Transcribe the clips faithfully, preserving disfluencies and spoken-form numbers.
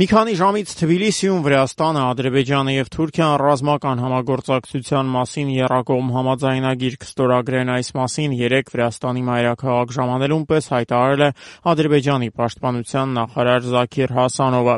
Մի քանի ժամից Թբիլիսիում Վրաստանը, Ադրբեջանը եւ Թուրքիան ռազմական համագործակցության մասին եռակողմ համաձայնագիր կստորագրեն։ Այս մասին երեկ Վրաստանի մայրաքաղաք ժամանելուն պես հայտարարել է Ադրբեջանի պաշտպանության նախարար Զաքիր Հասանովը։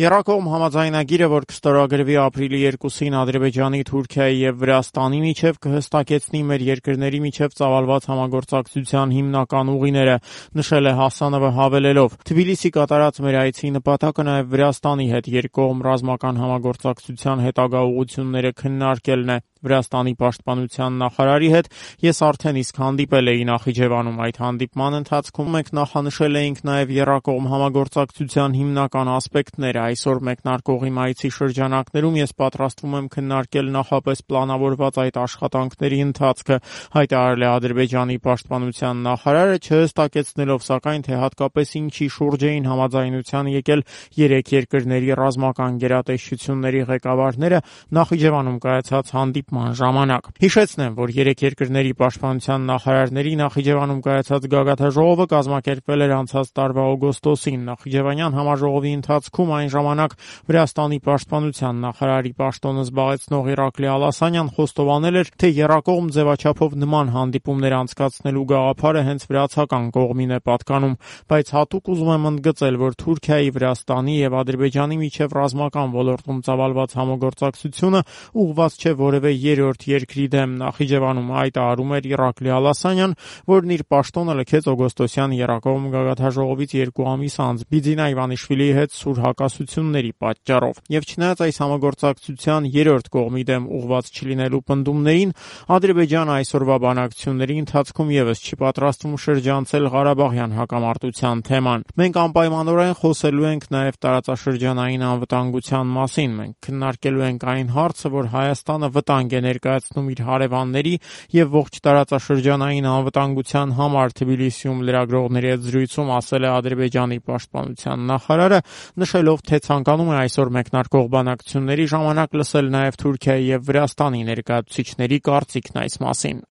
Եռակողմ համաձայնագիրը, որ կստորագրվի ապրիլի երկուսին Ադրբեջանի, Թուրքիայի եւ Վրաստանի միջեւ, կհստակեցնի մեր երկրների միջեւ ծավալված համագործակցության հիմնական ուղիները, նշել է Հասանովը հավելելով. Թբիլիսի կատարած մեր այցի նպատակը նաեւ Վրաստանի հետ երկկողմ ռազմական համագործակցության հետագա ուղղությունները քննարկելն է։ Վրաստանի պաշտպանության նախարարի հետ ես արդեն իսկ հանդիպել էի Նախիջևանում։ Այդ հանդիպման ընթացքում մենք նախանշել էինք նաև եռակողմ համագործակցության հիմնական ասպեկտները։ Այսօր մեկնարկող իմ այցի շրջանակներում ես պատրաստվում եմ քննարկել նախապես պլանավորված այդ աշխատանքների ընթացքը, հայտարարել է Ադրբեջանի պաշտպանության նախարարը, չհստակեցնելով սակայն, թե հատկապես ինչի շուրջ էին համաձայնության եկել երեք երկրների ռազմական գերատեսչությունների ղեկավարները Նախիջևանում կայացած հանդիպման ժամանակ։ Հիշեցնեմ, որ երեք երկրների պաշտպանության նախարարների Նախիջևանում կայացած գագաթնաժողովը կազմակերպվել էր անցած տարվա օգոստոսին։ Նախիջևանյան համաժողովի ընթացքում այն ժամանակ Վրաստանի պաշտպանության նախարարի պաշտոնը զբաղեցնող Իրակլի Ալասանյան խոստովանել էր, թե եռակողմ ձևաչափով նման հանդիպումներ անցկացնելու գաղափարը հենց վրացական կողմին է պատկանում, բայց հատուկ ուզում եմ ընդգծել, որ Թուրքիայի, Վրաստանի եւ Ադրբեջանի միջեւ ռազմական ոլորտում ծավալված համագործակցությունը ուղղված չէ որևէ երրորդ երկրի դեմ։ Նախիջևանում հայտարարում էր Իրակլի Ալասանյան, որն իր պաշտոնը լքեց օգոստոսյան եռակողմ գագաթնաժողովից երկու ամիս անց Բիձինա Իվանիշվիլիի հետ սուր հակասությունների պատճառով։ Եվ չնայած այս համագործակցության երրորդ կողմի դեմ ուղղված չլինելու պնդումներին, Ադրբեջանը այսօրվա բանակցությունների ընթացքում եւս չի պատրաստվում շրջանցել Ղարաբաղյան հակամարտության թեման։ Մենք անպայմանորեն խոսելու ենք նաև տարածաշրջանային անվտանգության մասին։ Մենք քննարկելու ենք այն հարցը, որ Հայաստանը վտանգ է ներկայացնում իր հարևանների եւ ողջ տարածաշրջանային անվտանգության համար, Թբիլիսիում լրագրողների հետ զրույցում ասել է Ադրբեջանի պաշտպանության նախարարը, նշելով, թե ցանկանում է այսօր մեկնարկող բանակցությունների ժամանակ լսել նաև Թուրքիայի եւ Վրաստանի ներկայացուցիչների կարծիքն այս մասին։